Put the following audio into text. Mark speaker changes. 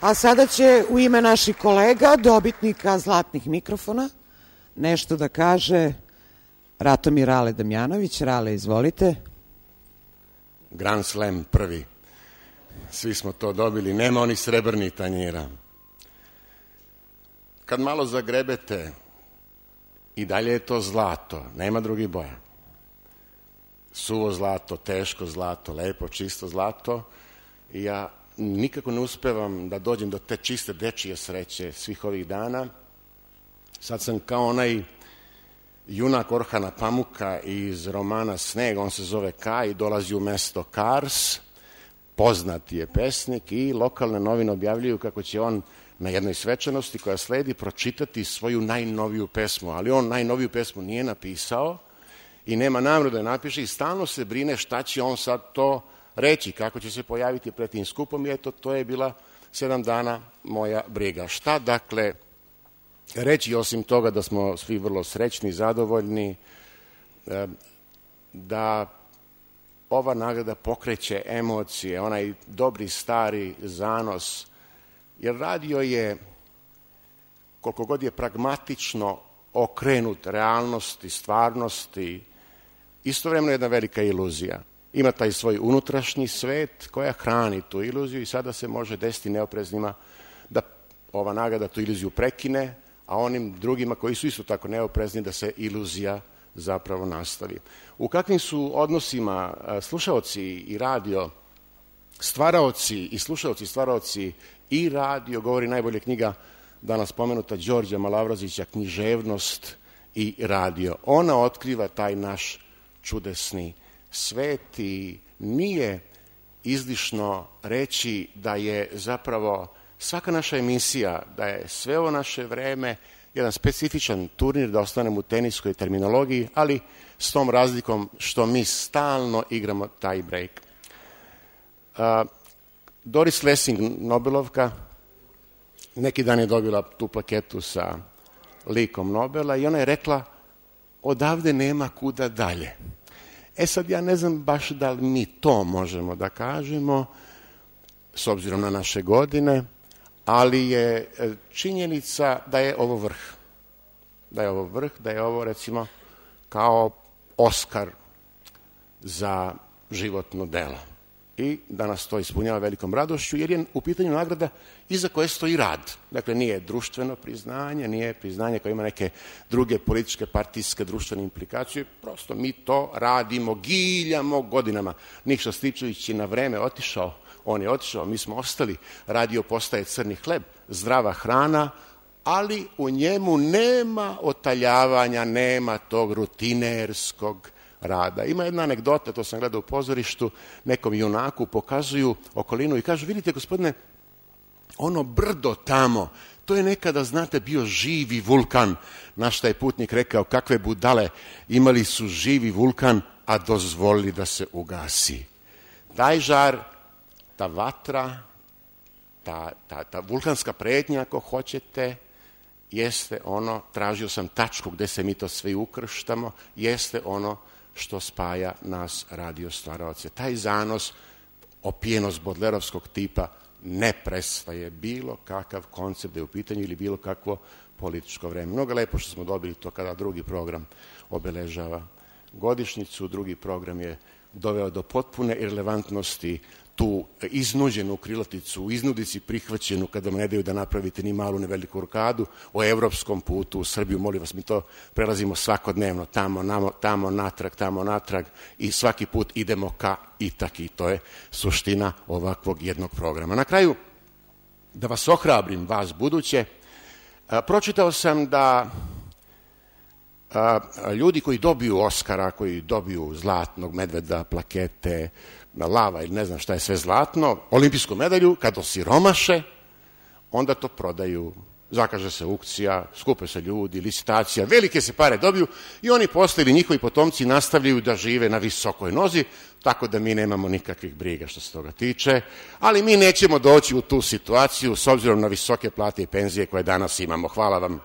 Speaker 1: A sada će u ime naših kolega, dobitnika zlatnih mikrofona, nešto da kaže Ratomir Rale Damjanović. Rale, izvolite.
Speaker 2: Grand Slam prvi. Svi smo to dobili, nema onih srebrnih tanjira. Kad malo zagrebete, i dalje je to zlato, nema drugih boja. Suvo zlato, teško zlato, lepo, čisto zlato. I ja nikako ne uspevam da dođem do te čiste dečije sreće svih ovih dana. Sad sam kao onaj junak Orhana Pamuka iz romana Sneg, on se zove Kaj, dolazi u mesto Kars, poznati je pesnik i lokalne novine objavljuju kako će on na jednoj svečanosti koja sledi pročitati svoju najnoviju pesmu, ali on najnoviju pesmu nije napisao i nema namjeru da je napiše i stalno se brine šta će on sad to reći, kako će se pojaviti pred tim skupom i eto, to je bila 7 dana moja briga. Šta dakle reći osim toga da smo svi vrlo srećni, zadovoljni, da ova nagrada pokreće emocije, onaj dobri stari zanos, jer radio je, koliko god je pragmatično okrenut realnosti, stvarnosti, istovremeno jedna velika iluzija. Ima taj svoj unutrašnji svet koja hrani tu iluziju i sada se može desiti neopreznima da ova nagrada tu iluziju prekine, a onim drugima koji su isto tako neoprezni da se iluzija zapravo nastavi. U kakvim su odnosima slušaoci i radio, stvaraoci i slušaoci i stvaraoci i radio, govori najbolje knjiga danas spomenuta Đorđa Malavrazića, Književnost i radio. Ona otkriva taj naš čudesni svet i nije izlišno reći da je zapravo svaka naša emisija, da je sve ovo naše vreme jedan specifičan turnir, da ostanemo u teniskoj terminologiji, ali s tom razlikom što mi stalno igramo taj break. Doris Lessing, Nobelovka, neki dan je dobila tu plaketu sa likom Nobela i ona je rekla odavde nema kuda dalje. Sad ja ne znam baš da li mi to možemo da kažemo s obzirom na naše godine, ali je činjenica da je ovo vrh. Da je ovo vrh, da je ovo recimo kao Oskar za životno delo. I da nas to ispunjava velikom radošću, jer je u pitanju nagrada iza koje stoji rad. Dakle, nije društveno priznanje, nije priznanje koje ima neke druge političke, partijske, društvene implikacije. Prosto mi to radimo, giljamo godinama. Nikša Stičević je na vreme otišao, on je otišao, mi smo ostali. Radio postaje crni hleb, zdrava hrana, ali u njemu nema otaljavanja, nema tog rutinerskog rada. Ima jedna anegdota, to sam gledao u pozorištu, nekom junaku pokazuju okolinu i kažu, vidite gospodine, ono brdo tamo, to je nekada, znate, bio živi vulkan. Na šta je putnik rekao, kakve budale, imali su živi vulkan, a dozvolili da se ugasi. Taj žar, ta vatra, ta vulkanska pretnja, ako hoćete, jeste ono, tražio sam tačku gde se mi to sve ukrštamo, jeste ono što spaja nas radio stvaraoce. Taj zanos, opijenost bodlerovskog tipa, ne prestaje bilo kakav koncept da je u pitanju ili bilo kakvo političko vreme. Mnogo lepo što smo dobili to kada drugi program obeležava godišnjicu, drugi program je doveo do potpune irelevantnosti tu iznuđenu krilaticu, u iznudici prihvaćenu kada vam ne daju da napravite ni malu ni veliku rokadu o evropskom putu u Srbiju. Molim vas, mi to prelazimo svakodnevno, tamo, natrag i svaki put idemo ka Itaki. To je suština ovakvog jednog programa. Na kraju, da vas ohrabrim, vas buduće, pročitao sam da ljudi koji dobiju Oskara, koji dobiju zlatnog medveda, plakete, lava ili ne znam šta je sve zlatno, olimpijsku medalju, kad osiromaše, onda to prodaju, zakaže se aukcija, skupe se ljudi, licitacija, velike se pare dobiju i oni posle ili njihovi potomci nastavljaju da žive na visokoj nozi, tako da mi nemamo nikakvih briga što se toga tiče, ali mi nećemo doći u tu situaciju s obzirom na visoke plate i penzije koje danas imamo. Hvala vam.